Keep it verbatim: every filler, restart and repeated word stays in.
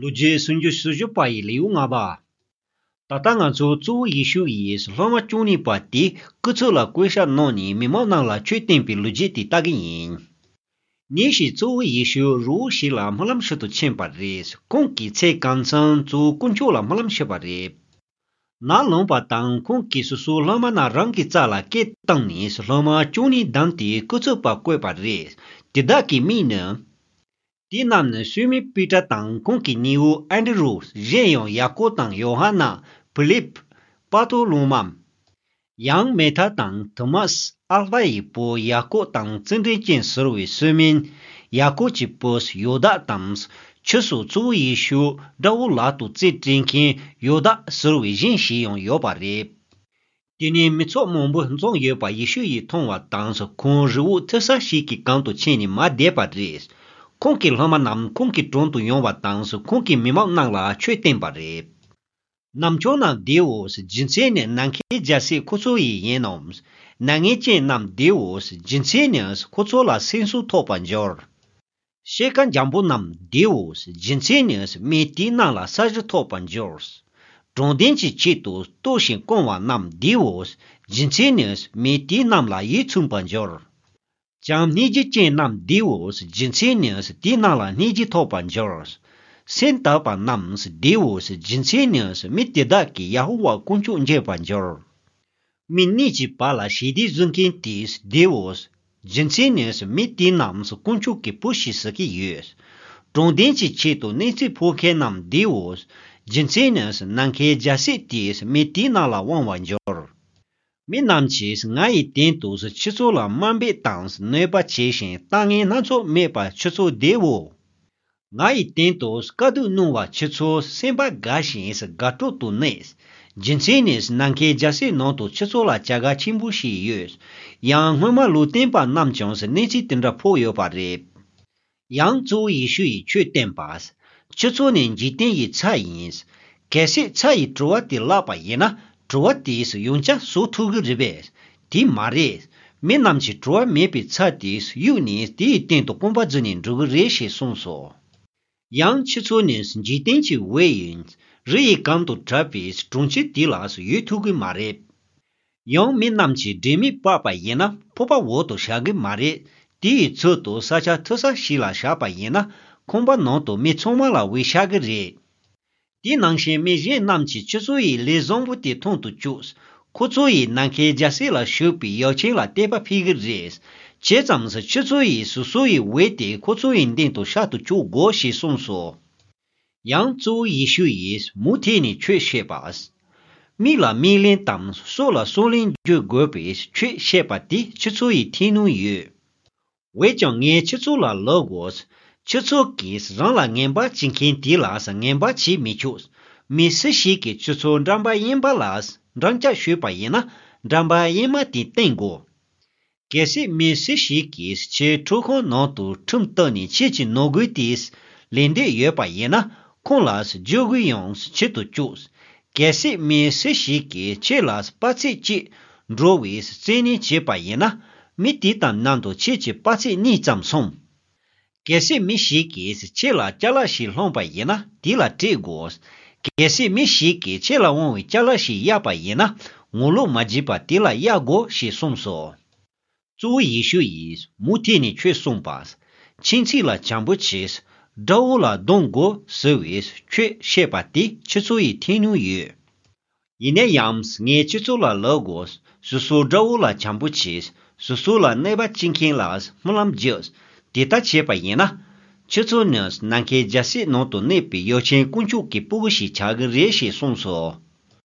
ལོ་རྒྱུས་སུམ་ཅུ་སོ་བཞི་པ་ཡི་ལེའུ་ལྔ་པ། ད་ལྟ་ང་ཚོ་གཙོ་བོ་ཡེ་ཤུ་ཡིས་སློབ་མ་བཅུ་གཉིས་པ་དེ་སྐུ་ཚབ་ལ་བསྐོས་བཞག་གནང་ནས་མི་མང་རྣམས་ལ་ཆོས་བསྟན་པའི་ལོ་རྒྱུས་དེ་ལྟ་གི་ཡིན། ཉིན་ཞིག་གཙོ་བོ་ཡེ་ཤུ་རི་བོ་ཞིག་ལ་སྨོན་ལམ་ཞུ་དུ་ཕྱིན་པ་རེད། ཁོང་གིས་ཚེ་གང་ཚང་གཙོ་བོ་དཀོན་མཆོག་ལ་སྨོན་ལམ་ཞུས་པ་རེད། ནམ་ལངས་པ་དང་ཁོང་གིས་སོ་སོའི་སློབ་མ་རྣམས་རང་གི་རྩ་ལ་སྐད་བཏང་ནས་སློབ་མ་བཅུ་གཉིས་བདམས་ཏེ་སྐུ་ཚབ་པ་བསྐོས་པ་རེད། དེ་དག་གི་མིང་ནི། དེ་རྣམས་ནི་སི་མོན་པི་ཏྲ་དང་ཁོང་གི་ནུ་བོ་ཨན་དྲི་རུ། གཞན་ཡང་ཡ་ཀོབ་དང་ཡོ་ཧ་ནན། ཕི་ལིབ། པ་ཐོ་ལོ་མ། ཡང་མེ་ཐ་དང་ཐོ་མཱས། ཨལ་ཕ་ཡི་བུ་ཡ་ཀོབ་དང་རྩེ་འགྲན་ཅན་ཟེར་བའི་སི་མོན། ཡ་ཀོབ་ཀྱི་བུ་ཡོ་དཱ་དང་། ཕྱིས་སུ་གཙོ་བོ་ཡེ་ཤུ་དགྲ་བོ་ལག་ཏུ་རྩིས་སྤྲད་མཁན་ཡོ་དཱ་ཟེར་བའི་གཞན་ཞིག་ཡང་ཡོད་པ་རེད། དེ་ནས་མི་ཚོགས་མང་པོ་འཛོམས་ཡོད་པ་ཡེ་ཤུ་ཡིས་མཐོང་བ་དང་། ཁོང་རི་བོ་མཐོ་ས་ཞིག་གི་སྒང་དུ་ཕྱིན་ནས་མར་བསྡད་པ་རེད། ཁོང་གི་སློབ་མ་རྣམས་ཁོང་གི་དྲུང་དུ་ཡོང་བ་དང་། ཁོང་གིས་མི་མང་རྣམས་ལ་ཆོས་བསྟན་པ་རེད། ནམ་ཆུང་རྣམས་བདེའོ། རྒྱུ་མཚན་ནི་ནམ་མཁའི་རྒྱལ་སྲིད་ཁོ་ཚོ་ཡི་ཡིན་ནོ། མྱ་ངན་ཅན་རྣམས་བདེའོ། རྒྱུ་མཚན་ནི་ཁོ་ཚོ་ལ་སེམས་གསོ་ཐོབ་པར་འགྱུར། ཤེལ་དཀར་འཇམ་པོ་རྣམས་བདེའོ། རྒྱུ་མཚན་ནི་མི་དེ་རྣམས་ལ་ས་གཞི་ཐོབ་པར་འགྱུར། དྲང་བདེན་གྱི་ཆེད་དུ་ལྟོགས་ཤིང་སྐོམ་པ་རྣམས་བདེའོ། རྒྱུ་མཚན་ནི་མི་དེ་རྣམས་ལ་ཡིད་ཚིམ་པར་འགྱུར། བྱམས་སྙིང་རྗེ་ཅན་རྣམས་བདེའོ། རྒྱུ་མཚན་ནི་དེ་རྣམས་ལ་སྙིང་རྗེ་ཐོབ་པར་འགྱུར། སེམས་དག་པ་རྣམས་བདེའོ། རྒྱུ་མཚན་ནི་མི་དེ་དག་གིས་ཡ་ཧོ་ཝཱ་དཀོན་མཆོག་མཇལ་བར་འགྱུར། མི་གཉིས་ཀྱི་བར་ལ་ཞི་བདེ་བཟོ་མཁན་དེ་བདེའོ། རྒྱུ་མཚན་ནི་མི་དེ་རྣམས་དཀོན་མཆོག་གི་བུ་ཞེས་ཟེར་གྱི་ཡོད། དྲང་བདེན་གྱི་ཆེད་དུ་གནས་ཚུལ་ཕོག་མཁན་རྣམས་བདེའོ། རྒྱུ་མཚན་ནི་ནམ་མཁའི་རྒྱལ་སྲིད་དེ་མི་དེ་རྣམས་ལ་དབང་བར་འགྱུར། མི་རྣམས་ཀྱིས་ང་ཡི་སྟེང་དུ་ཁྱེད་ཚོ་ལ་དམའ་འབེབས་དང་གནོད་པ་བྱས་ཤིང་ལྟ་ངན་སྣ་ཚོགས་སྨྲས་པ་ཁྱེད་ཚོ་བདེའོ། ང་ཡི་སྟེང་དུ་དཀའ་སྡུག་མྱོང་བ་ཁྱེད་ཚོ་སེམས་པ་དགའ་ཞིང་དགའ་སྤྲོ་དུ་གནས། རྒྱུ་མཚན་ནི་ནམ་མཁའི་རྒྱལ་སྲིད་ནང་དུ་ཁྱེད་ཚོ་ལ་བྱ་དགའ་ཆེན་པོ་ཞིག་ཡོད། ཡང་སྔོན་མ་ལུང་སྟོན་པ་རྣམས་ཀྱང་གནས་ཚུལ་དེ་འདྲ་ཕོག་ཡོད་པ་རེད། ཡང་གཙོ་བོ་ཡེ་ཤུ་ཡིས་ཆོས་བསྟན་པ། ཁྱེད་ཚོ་ནི་འཇིག་རྟེན་གྱི་ཚྭ་ཡིན། གལ་སྲིད་ཚྭ་ཡིས་བྲོ་བ་དེ་བརླགས་པ་ཡིན་ན་བྲོ་བ་དེས་ཡང་བསྐྱར་བཟོ་ཐུབ་ཀྱི་རེད་པས། དེ་མ་རེད། མི་རྣམས་ཀྱིས་བྲོ་བ་མེད་པའི་ཚྭ་དེ་གཡུགས་ནས་དེའི་སྟེང་དུ་རྐང་པ་འཛུགས་ནས་འགྲོ་གི་རེད་ཞེས་གསུངས་སོ། ཡང་ཁྱེད་ཚོ་ནི་འཇིག་རྟེན་གྱི་འོད་ཡིན། རི་ཡི་སྒང་དུ་བྲག་པའི་གྲོང་ཁྱེར་དེ་ལ་ཡོད་ཐུབ་ཀྱི་མ་རེད། ཡང་མི་རྣམས་ཀྱིས་སྒྲོན་མེ་སྤར་པ་ཡིན་ན་ཕོར་པ་འོག་ཏུ་བཞག་གི་མ་རེད། དེ་ཡི་ཚུལ་དུ་ས་ཆ་མཐོ་ས་ཞིག་ལ་བཞག་པ་ཡིན་ན་ཁང་པ་ནང་དུ་མི་ཚང་མ་ལ་འོད་ཤར་གི་རེད། དེ་ནང་བཞིན་མི་གཞན་རྣམས་ཀྱིས་ཁྱེད་ཚོ་ཡི་ལས་བཟང་པོ་དེ་མཐོང་དུ་བཅུག་ཁོ་ཚོ་ཡིས་ནམ་མཁའི་རྒྱལ་སྲིད་ལ་ཞུགས་པའི་ཡབ་ཆེན་ལ་དད་པ་འཕེལ་གི་རེད། བྱས་ཙང་ཁྱེད་ཚོ་ཡིས་སོ་སོ་ཡི་འོད་དེ་ཁོ་ཚོ་ཡི་མདུན་དུ་ཤར་དུ་བཅུག་དགོས་ཞེས་གསུངས་སོ། ཡང་གཙོ་བོ་ཡེ་ཤུ་ཡིས་མུ་མཐུད་ནས་ཆོས་བཤད་པ། མིག་ལ་མིག་ལན་དང་སྲོག་ལ་སྲོག་ལན་འཇུག་དགོས་པའི་ཆོས་བཤད་པ་དེ་ཁྱེད་ཚོ་ཡི་ཐོས་མྱོང་ཡོད། འོན་ཀྱང་ངས་ཁྱེད་ཚོ་ལ་ལབ་དགོས། ཁྱེད་ཚོ་གིས་རང་ལ་ངན་པ་བྱེད་མཁན་དེ་ལ་ངན་པ་བྱེད་མི་ཆོག་མི་སུ་ཞིག་གིས་ཁྱེད་ཚོ་འགྲམ་པ་གཡས་པ་ལ་འགྲམ་ལྕག་གཞུས་པ་ཡིན་ན་འགྲམ་པ་གཡོན་མ་དེ་བསྟན་དགོས། གལ་སྲིད་མི་སུ་ཞིག་གིས་ཁྱེད་ཁྲིམས་ཁང་ནང་དུ་ཁྲིམས་བཏགས་ནས་ཁྱེད་ཀྱི་ནོར་རྒུད་དེ་ལེན་འདོད་ཡོད་པ་ཡིན་ན་ཁོང་ལ་རྒྱུ་དགོས་ཡང་ཁྱེད་དུ་བཅུག་གལ་སྲིད་མི་སུ་ཞིག་གིས་ཁྱེད་ལ་དཔག་ཚད་གཅིག་འགྲོ་བའི་བཙན་གནོན་བྱས་པ་ཡིན་ན་མི་དེ་དང་མཉམ་དུ་ཁྱེད་ཀྱི་དཔག་ཚད་གཉིས་ཙམ་སོང་། གལ་སྲིད་མི་ཞིག་གིས་ཁྱེད་ལ་ཅ་ལག་ཞིག་སློང་པ་ཡིན་ན་དེ་ལ་སྤྲད་དགོས། གལ་སྲིད་མི་ཞིག་གིས་ཁྱེད་ལ་དབང་བའི་ཅ་ལག་ཞིག་གཡར་པ་ཡིན་ན་ངོ་ལོག་མ་བྱེད་པར་དེ་ལ་གཡར་དགོས་ཞེས་གསུངས་སོ། གཙོ་བོ་ཡེ་ཤུ་ཡིས་མུ་མཐུད་ནས་ཆོས་གསུངས་པ། ཁྱིམ་མཚེས་ལ་བྱམས་པོ་བྱས། དགྲ་བོ་ལ་སྡང་དགོས་ཟེར་བའི་ཆོས་བཤད་པ་དེ་ཁྱེད་ཚོ་ཡིས་ཐོས་མྱོང་ཡོད། ཡིན་ན་ཡང་ངས་ཁྱེད་ཚོ་ལ་ལབ་དགོས། སོ་སོའི་དགྲ་བོ་ལ་བྱམས་པོ་བྱས། སོ་སོ་ལ་གནོད་པ་བྱེད་མཁན་ལ་སྨོན་ལམ་རྒྱག་དེ་ལྟར་བྱས་པ་ཡིན་ན། ཁྱེད་ཚོ་ནི་ནམ་མཁའི་རྒྱལ་སྲིད་ནང་དུ་གནས་པའི་ཡབ་ཆེན་དཀོན་མཆོག་གི་སྤུ་གུ་ཞིག་ཆགས་ཀྱི་རེད་ཞེས་གསུངས་སོ།